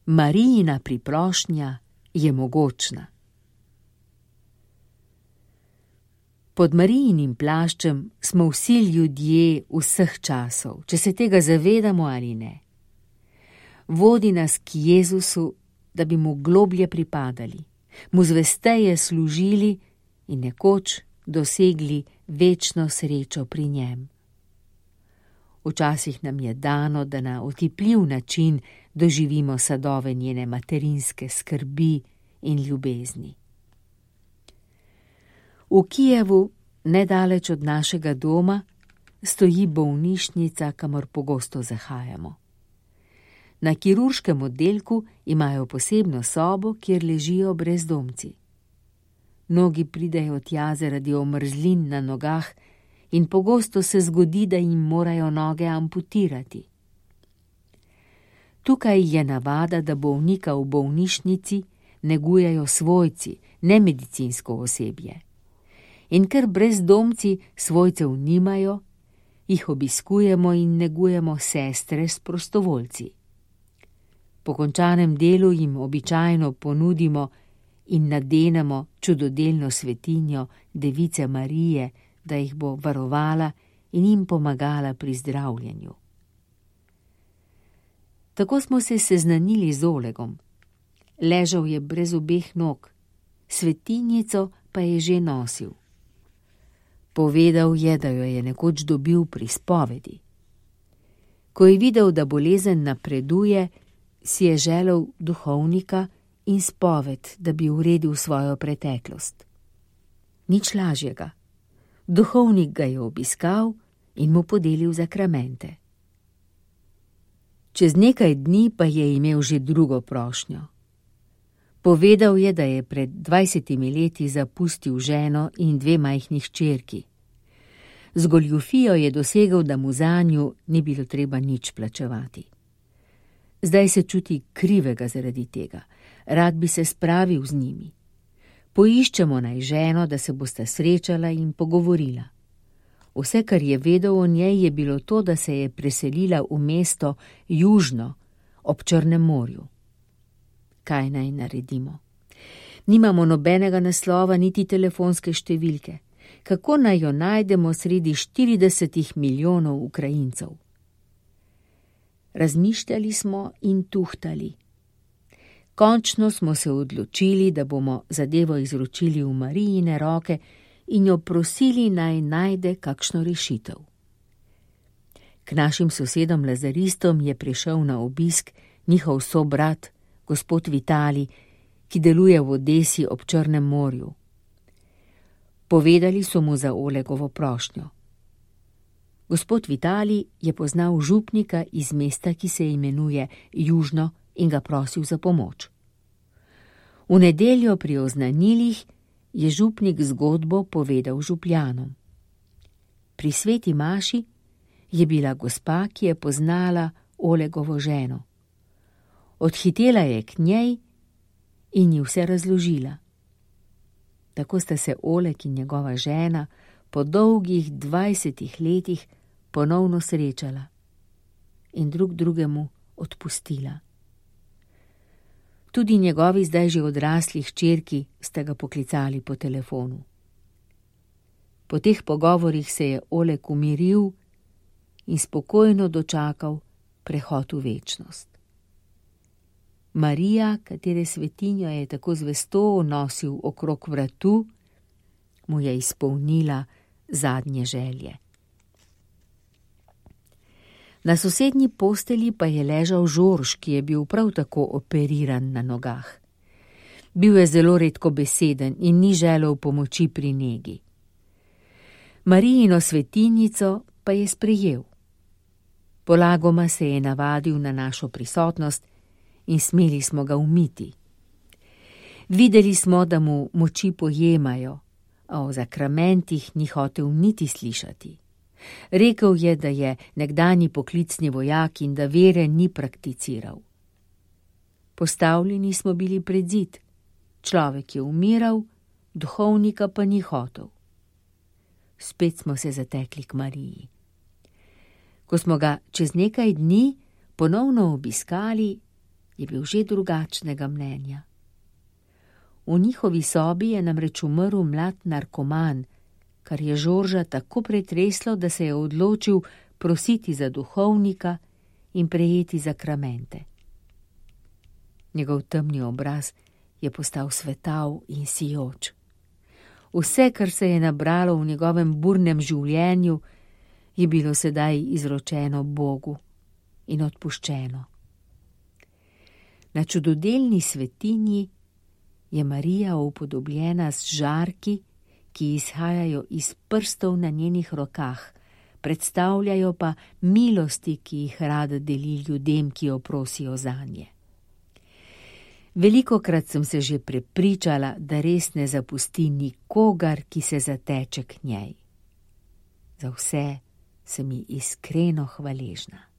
Marijina priprošnja je mogočna. Pod Marijinim plaščem smo vsi ljudje vseh časov, če se tega zavedamo ali ne. Vodi nas k Jezusu, da bi mu globlje pripadali, mu zvesteje služili in nekoč dosegli večno srečo pri njem. Včasih nam je dano, da na otipljiv način doživimo sadove njene materinske skrbi in ljubezni. V Kijevu, nedaleč od našega doma, stoji bolnišnica, kamor pogosto zahajamo. Na kirurškem oddelku imajo posebno sobo, kjer ležijo brezdomci. Mnogi pridejo tja zaradi omrzlin na nogah in pogosto se zgodi, da jim morajo noge amputirati. Tukaj je navada, da bolnika v bolnišnici negujejo svojci, ne medicinsko osebje. In ker brezdomci svojcev nimajo, jih obiskujemo in negujemo sestre s prostovoljci. Po končanem delu jim običajno ponudimo in nadenemo čudodelno svetinjo Device Marije, da jih bo varovala in jim pomagala pri zdravljenju. Tako smo se seznanili z Olegom. Ležal je brez obeh nog, svetinjico pa je že nosil. Povedal je, da jo je nekoč dobil pri spovedi. Ko je videl, da bolezen napreduje, si je želel duhovnika in spoved, da bi uredil svojo preteklost. Nič lažjega. Duhovnik ga je obiskal in mu podelil zakramente. Čez nekaj dni pa je imel že drugo prošnjo. Povedal je, da je pred 20 leti zapustil ženo in 2 majhni hčerki. Z goljufijo je dosegel, da mu zanju ni bilo treba nič plačevati. Zdaj se čuti krivega zaradi tega. Rad bi se spravil z njimi. Poiščemo naj ženo, da se bosta srečala in pogovorila. Vse, kar je vedel o njej, je bilo to, da se je preselila v mesto južno, ob Črnem morju. Kaj naj naredimo? Nimamo nobenega naslova niti telefonske številke. Kako naj jo najdemo sredi 40 milijonov Ukrajincev? Razmišljali smo in tuhtali. Končno smo se odločili, da bomo zadevo izročili v Marijine roke in jo prosili, naj najde kakšno rešitev. K našim sosedom lazaristom je prišel na obisk njihov sobrat, gospod Vitalij, ki deluje v Odesi ob Črnem morju. Povedali so mu za Olegovo prošnjo. Gospod Vitalij je poznal župnika iz mesta, ki se imenuje Južno, in ga prosil za pomoč. V nedeljo pri oznanilih je župnik zgodbo povedal župljanom. Pri sveti maši je bila gospa, ki je poznala Olegovo ženo. Odhitela je k njej in ji vse razložila. Tako sta se Oleg in njegova žena po dolgih 20 letih ponovno srečala in drug drugemu odpustila. Tudi njegovi zdaj že odrasli hčerki sta ga poklicali po telefonu. Po teh pogovorih se je Oleg umiril in spokojno dočakal prehod v večnost. Marija, katere svetinjo je tako zvesto nosil okrog vratu, mu je izpolnila zadnje želje. Na sosednji postelji pa je ležal Žorž, ki je bil prav tako operiran na nogah. Bil je zelo redkobeseden in ni želel pomoči pri negi. Marijino svetinjico pa je sprejel. Polagoma se je navadil na našo prisotnost in smeli smo ga umiti. Videli smo, da mu moči pojemajo, a o zakramentih ni hotel niti slišati. Rekel je, da je nekdanji poklicni vojak in da vere ni prakticiral. Postavljeni smo bili pred zid. Človek je umiral, duhovnika pa ni hotel. Spet smo se zatekli k Mariji. Ko smo ga čez nekaj dni ponovno obiskali, je bil že drugačnega mnenja. V njihovi sobi je namreč umrl mlad narkoman, kar je Žorža tako pretreslo, da se je odločil prositi za duhovnika in prejeti zakramente. Njegov temni obraz je postal svetav in sijoč. Vse, kar se je nabralo v njegovem burnem življenju, je bilo sedaj izročeno Bogu in odpuščeno. Na čudodelni svetinji je Marija upodobljena z žarki, ki izhajajo iz prstov na njenih rokah, predstavljajo pa milosti, ki jih rada deli ljudem, ki jo prosijo zanje. Velikokrat sem se že prepričala, da res ne zapusti nikogar, ki se zateče k njej. Za vse sem ji iskreno hvaležna.